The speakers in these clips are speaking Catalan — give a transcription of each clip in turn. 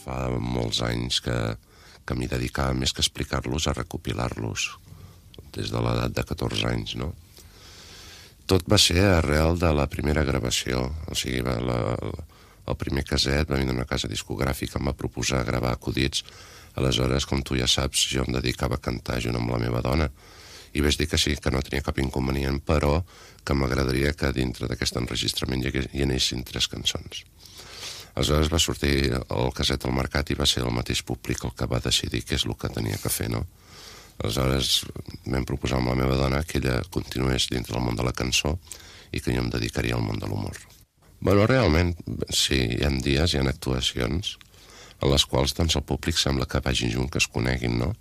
fa molts anys que m'hi dedicava més que explicar-los a recopilar-los, des de l'edat de 14 anys, no? Tot va ser arrel de la primera gravació, o sigui, el primer caset va venir d'una casa discogràfica, em va proposar gravar acudits. Aleshores, com tu ja saps, jo em dedicava a cantar junt amb la meva dona, i vaig dir que sí, que no tenia cap inconvenient, però que m'agradaria que dintre d'aquest enregistrament hi anessin 3 cançons. Aleshores va sortir el caset al mercat i va ser el mateix públic el que va decidir què és el que tenia que fer, no? Aleshores vam proposar amb la meva dona que ella continués dintre del món de la cançó i que jo em dedicaria al món de l'humor. Bueno, realment, sí, hi ha dies, hi ha actuacions en les quals doncs, el públic sembla que vagin junt, que es coneguin, no?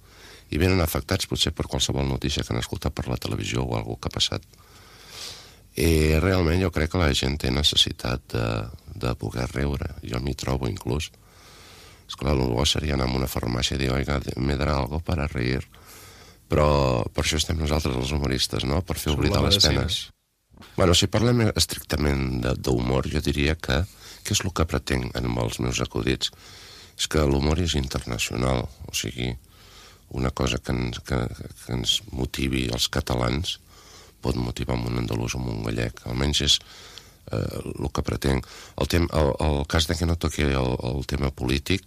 I venen afectats potser per qualsevol notícia que han escoltat per la televisió o alguna que ha passat. I realment jo crec que la gent té necessitat de poder riure. Jo m'hi trobo inclús. Esclar, el bo seria anar a una farmàcia i dir, oiga, me darà algo para reír. Però per això estem nosaltres els humoristes, no? Per fer oblidar les penes. Bueno, si parlem estrictament d'humor, jo diria que què és el que pretenc amb els meus acudits? És que l'humor és internacional, o sigui, una cosa que ens motivi els catalans pot motivar un andalús o un gallec, almenys és el que pretenc. El cas de que no toqui el tema polític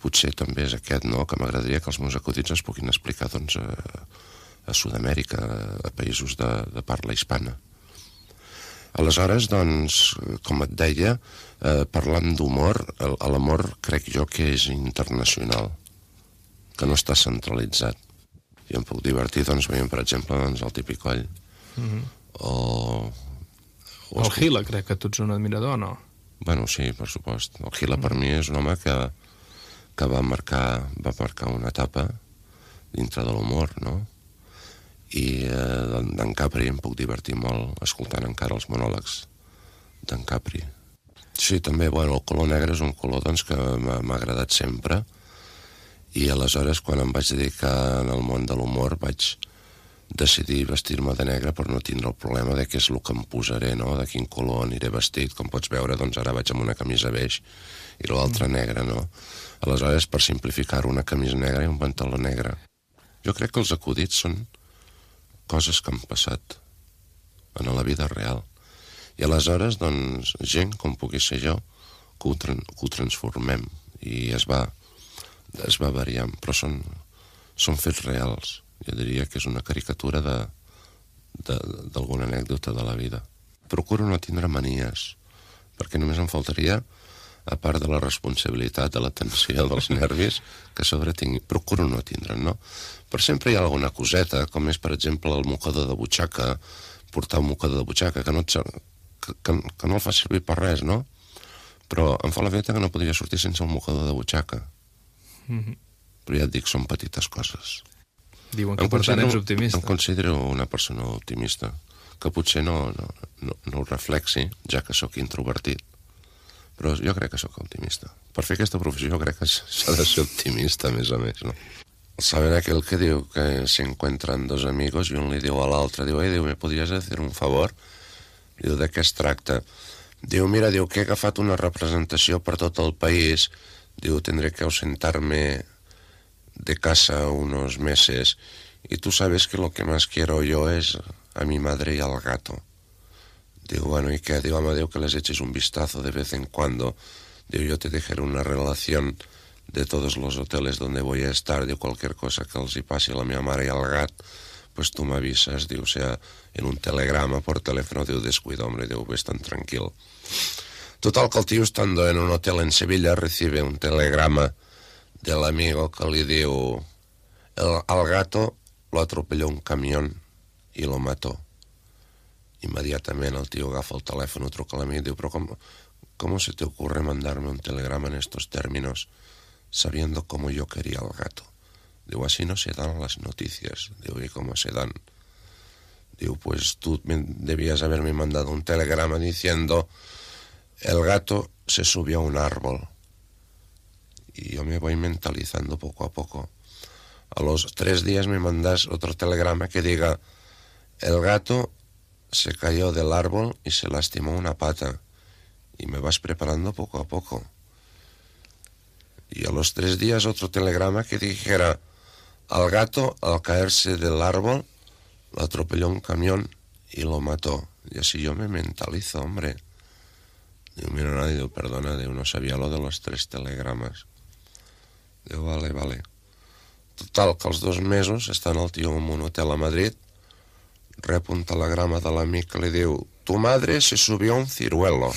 potser també és aquest, no? Que m'agradaria que els meus acudits es puguin explicar doncs, a Sud-amèrica, a països de parla hispana. Aleshores, doncs, com et deia, parlant d'humor, l'amor crec jo que és internacional, que no està centralitzat. Jo em puc divertir, doncs, veient, per exemple, doncs, el típic coll. O el Gila, crec que tu ets un admirador, no? Bueno, sí, per supost. El Gila per mi és un home que va marcar una etapa dintre de l'humor, no? I d'en Capri em puc divertir molt escoltant encara els monòlegs d'en Capri. Sí, també, bueno, el color negre és un color doncs, que m'ha agradat sempre, i aleshores quan em vaig dedicar al món de l'humor vaig decidir vestir-me de negre per no tindre el problema de què és el que em posaré, no? De quin color aniré vestit. Com pots veure, doncs ara vaig amb una camisa beix i l'altra negra, no? Aleshores, per simplificar-ho, una camisa negra i un pantaló negre. Jo crec que els acudits són coses que han passat en la vida real. I aleshores, doncs, gent com pugui ser jo, que ho transformem i es va variant, però són fets reals. Jo diria que és una caricatura d'alguna anècdota de la vida. Procuro no tindre manies, perquè només em faltaria, a part de la responsabilitat, de la tensió, dels nervis, que a sobre tingui. Procuro no tindre'n, no? Però sempre hi ha alguna coseta, com és, per exemple, el mocador de butxaca, portar un mocador de butxaca, que no el fa servir per res, no? Però em fa la feta que no podria sortir sense un mocador de butxaca. Però ja et dic, són petites coses. Diuen que per tant ets optimista. Em considero una persona optimista, que potser no ho reflexi, ja que sóc introvertit, però jo crec que sóc optimista. Per fer aquesta professió jo crec que s'ha de ser optimista, a més a més, no? Saben aquel que diu que se encuentran dos amigos i un li diu a l'altre, diu, ¿me podries hacer un favor? Diu, de què es tracta? Diu, mira, diu que he agafat una representació per tot el país, diu, tendré que ausentarme de casa unos meses y tú sabes que lo que más quiero yo es a mi madre y al gato. Digo, bueno, ¿y qué? Digo, Amadeo, que les eches un vistazo de vez en cuando. Digo, yo te dejaré una relación de todos los hoteles donde voy a estar. Digo, cualquier cosa que els hi passi a la meva mare i al gat, pues tú me avisas, digo, o sea, en un telegrama por teléfono. Digo, descuida, hombre, digo, ves tan tranquilo. Total, que el tío, estando en un hotel en Sevilla, recibe un telegrama del amigo que li diu, al gato lo atropelló un camión y lo mató. Inmediatament el tío agafa el teléfono, truca a l'amic y diu, pero ¿cómo se te ocurre mandarme un telegrama en estos términos sabiendo cómo yo quería al gato? Digo, así no se dan las noticias. Digo, ¿y cómo se dan? Digo, pues tú debías haberme mandado un telegrama diciendo, el gato se subió a un árbol. Y yo me voy mentalizando poco a poco. A los 3 días me mandas otro telegrama que diga, el gato se cayó del árbol y se lastimó una pata. Y me vas preparando poco a poco. Y a los 3 días otro telegrama que dijera: al gato, al caerse del árbol, lo atropelló un camión y lo mató. Y así yo me mentalizo, hombre. Diu, mira, no, diu, perdona, diu, no sabia lo de los 3 telegrames. Diu, vale. Total, que als 2 mesos, estant el tio en un hotel a Madrid, rep un telegrama de l'amic que li diu: tu madre se subió a un ciruelo.